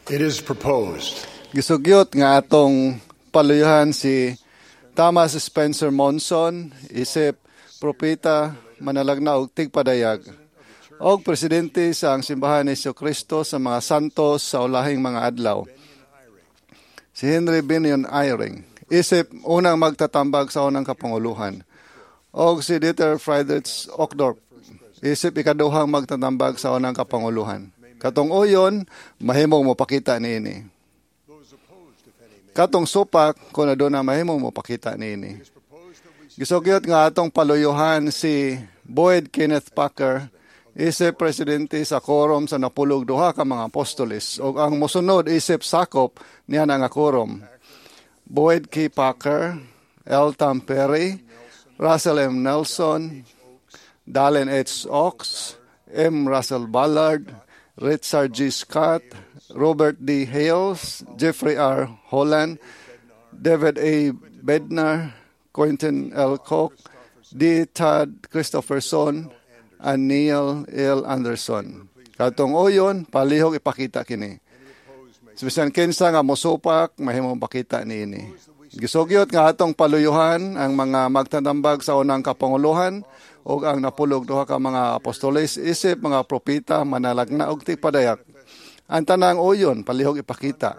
It is proposed Gisugyot nga atong paluyuhan si Thomas Spencer Monson isip propeta, manalagna og tigpadayag og presidente sa ang Simbahan ni Kristo sa mga Santos sa Ulahing mga Adlaw. Si Henry Binion Eyring isip unang magtatambag sa unang kapanguluhan og si Dieter Friedrich Uchtdorf isip ikaduhang magtatambag sa unang kapanguluhan. Katong uyon, mahimong mopakita niini. Katong supak, kung aduna, mahimong mopakita niini. Gisugyot nga atong paluyuhan si Boyd Kenneth Packer isip presidente sa quorum sa 12 ka mga apostoles ug ang mosunod isip sakop niya nga quorum. Boyd K. Packer, L. Tom Perry, Russell M. Nelson, Dallin H. Oaks, M. Russell Ballard, Richard G. Scott, Robert D. Hales, Jeffrey R. Holland, David A. Bednar, Quentin L. Koch, D. Todd Christofferson, and Neil L. Anderson. Katong uyon, palihog ipakita kini. Bisan kinsa nga mosupak, mahimong pakita niini. Gisugyot nga atong paluyuhan ang mga magtatambag sa unang kapanguluhan ug ang 12 ka mga apostoles isip mga propeta, manalagna og tigpadayag. Ang tanang uyon, palihog ipakita.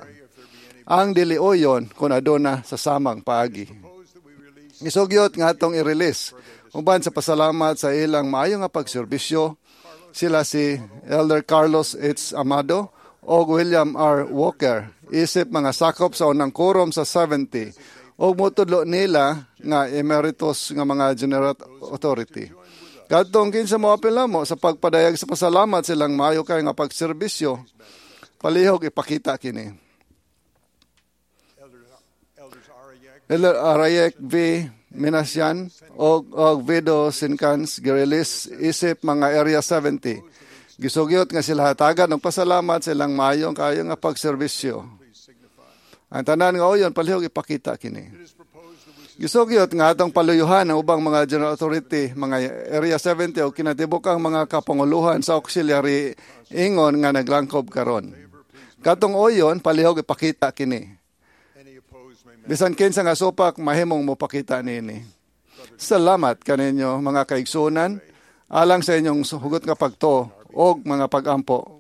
Ang dili uyon, kung aduna, sa samang paagi. Gisugyot nga atong i-release uban sa pasalamat sa ilang maayo nga pagserbisyo sila si Elder Carlos H. Amado o William R. Walker isip mga sakop sa unang quorum sa 70 og motudlo nila nga emeritus nga mga general authority. Kadtong kinsa moapil namo sa pagpadayag sa pasalamat silang maayo kay nga pagserbisyo, palihog ipakita kini. Elders Arayek Elder Arayek V. Minasian og Vido Sinkans gi-release isip mga Area 70. Gisugyot nga sila hatagan og pasalamat sa ilang maayong kaayo nga pagserbisyo. Ang tanan nga uyon, palihog ipakita kini. Gisugyot nga atong paluyuhan ang ubang mga general authority, mga Area 70 o kinatibukang mga kapanguluhan sa auxiliary ingon nga naglangkob karon. Katong uyon, palihog ipakita kini. Any opposed may Bisan kinsa nga supak, mahimong mopakita niini. Salamat kaninyo, mga kaigsunan, alang sa inyong hugot nga pagtuo og mga pagampo.